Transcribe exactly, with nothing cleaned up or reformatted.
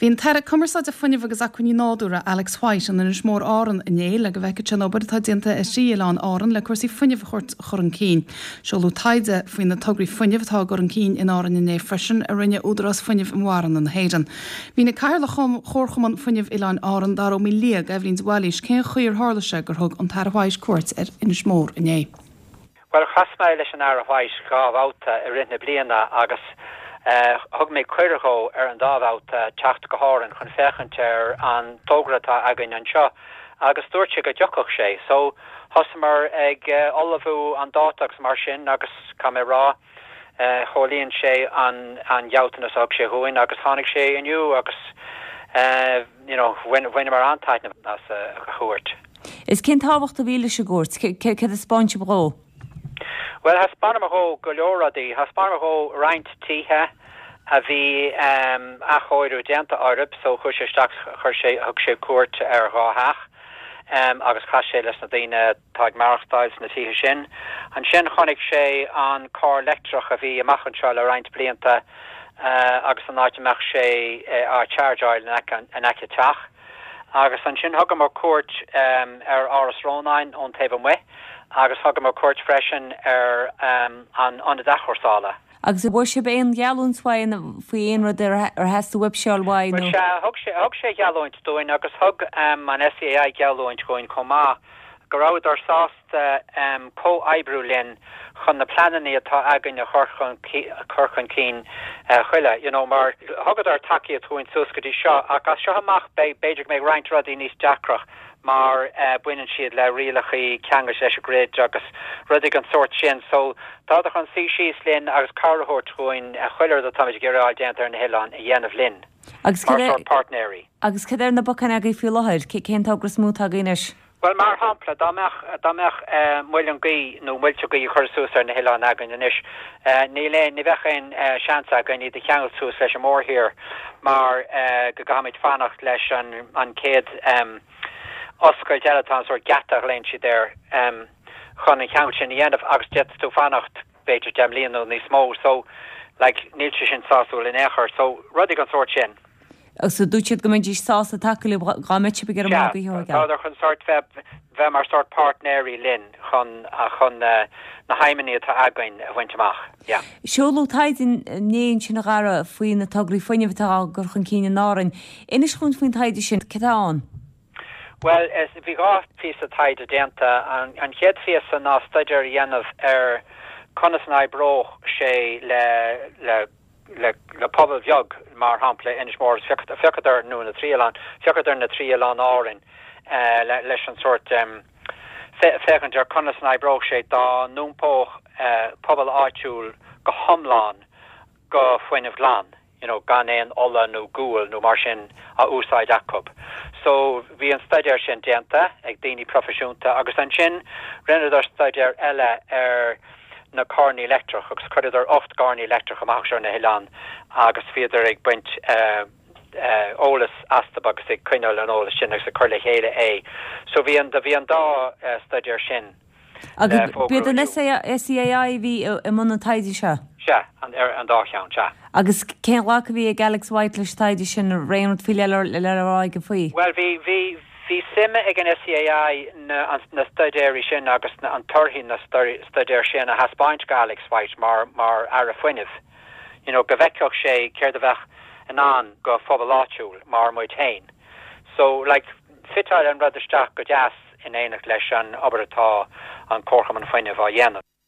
Bhí an tAire Cumarsáide Fuinnimh agus Acmhainní Nádúrtha Alex White in Inis Mór Árann inné le go bhfeicfeadh sé an obair atá déanta i dtrí oileán Árann le cúrsaí fuinnimh a chur chun cinn. Seoladh taighde faoi na tograí fuinnimh atá á gcur chun cinn in Árainn inné freisin a rinne Údarás Fuinnimh Mara na hÉireann. Mhínigh Cathaoirleach Chomharchumann Fuinnimh Oileáin Árann Dara Ó Maoildhia d'Eibhlín de Bhailís cén chaoi ar tharla sé gur thug an tAire White cuairt ar Inis Mór inné. Well chas mé leis an Aire White dhá bhabhta i rith na bliana agus uh, thug mé cuireadh dó ar an dá bhabhta teacht go hÁrainn chun féachaint ar an togra atá againn anseo agus dúirt sé go dtiocfadh sé. So thosaíomar ag uh, ullmhú an dáta agus mar sin agus tá mé rá uh, chomhlíon sé an an gealltanas a thug sé dhúinn agus tháinig sé inniu agus uh, you know, bhaineamar an-taitneamh as uh, a chuairt. Is cén tábhacht a bhí leis an gcuairt, cad a thaispeáin sibh dó? Well thaispeánamar dó go leor rudaí, thaispeánamar dó roinnt tithe a bhí um, athchóiriú déanta orthu, so chuaigh sé isteach chuir sé thug sé cuairt ar dhá theach. Um, agus chas sé leis na daoine atá ag maireachtáil sna tithe sin. Ansin chonaic sé an carr leictreach a bhí amach anseo le roinnt blianta uh, agus an áit a mbeadh sé uh, á chargeáil in aice teach. Agus ansin thugamar cuairt um, ar Áras Rónáin ón taobh amuigh, agus thugamar cuairt freisin ar um, an ionad athchúrsála. Agus bhfuair sibh aon gheallúint faoi faoi aon rud ar theastaigh uaibh uaidh nó? Thug sé thug sé geallúint dúinn agus thug um, an SEAI geallúint dúinn chomh maith go rabhadar sásta um, comhoibriú linn chun na pleananna atá againn a chur chur chun cinn uh, chuile you know, mar thugadar tacaíocht dúinn suas go dtí seo ach as seo amach b'fhéidir go mbeidh roinnt rudaí níos deacra mar uh, baineann siad le rialacha ceanglais leis an grid agus rudaí den sórt sin so tá chun suí síos linn agus cabhair dúinn a chuile rud atá geráil déanta ar na hoileáin a dhéanamh linn. Agus partneri. Agus cad ar na bacáin agaibh faoi láthair cén togra is mó atá agaibh anois? Well mar shampla dá mbeadh dá mbeadh uh, muileann gaoithe nó muilte gaoithe curtha suas ar na hoileáin againn anois uh, ní le ní bheadh aon uh, seans againn iad a cheangal suas leis an mórthír mar uh, go gcaithfimid fanacht leis an an chéad um, oscailt eile tá sórt geata léin siad ar um, chun an ceangal sin a dhéanamh agus d'fhéadfadh tú fanacht b'fhéidir deich mbliana nó níos mó so like, níl sé sin sásúil in aon chor so rudaí den sórt sin. So dúirt siad go mbeidís sásta tacú dá mbeadh sibh ar an Tá chun sórt bheith bheith mar sórt partneri linn chun chun uh, na haidhmeanna atá againn a bhaint amach. Yeah. Seoladh taighde inné ansin a Dhara faoi na tograí fuinnimh atá á gcur chun cinn in Árainn. Inis dúinn faoin taighde sin cad atá ann. Well bhí dhá phíosa taighde déanta an, an chéad phíosa ná staidéar a dhéanamh ar conas a oibreodh sé le le le le pobal beag mar shampla Inis Mór féachadar nó na trí oileán féachadar na trí oileán Árainn uh, le, leis an sórt um, féachaint ar conas a oibreodh sé dá n-iompódh uh, pobal áitiúil go hiomlán go fuinneamh glan. You know, gan aon ola nó gual nó mar sin a úsáid acu. So bhí an staidéar sin déanta ag daoine proifisiúnta agus ansin rinneadar staidéar eile ar na carranna leictreach agus chuireadar ocht gcarr leictreach amach ar na hoileáin agus bhíodar ag baint uh, uh, eolas astu agus ag coinneáil an eolas sin agus ag cur le chéile é. So bhí an bhí an dá uh, staidéar sin. Agus b'iad an SEAI bhí i mbun an taighde seo? Sea an ar an dá cheann sea. Agus cén glacadh a bhí ag Alex White leis taighde sin aon rud faoi le le rá aige faoi? Well bhí bhí bhí suim ag an SEAI na, na staidéirí sin agus na, an torthaí na staidéir sin a thaispeáint go Alex White mar mar Aire Fuinnimh. You know, go bhfeicfeadh sé céard a bheadh in ann go phobal áitiúil mar muid féin. So like fiteáil an rud isteach go deas in éineacht leis an obair atá an Comharchumann Fuinnimh á dhéanamh.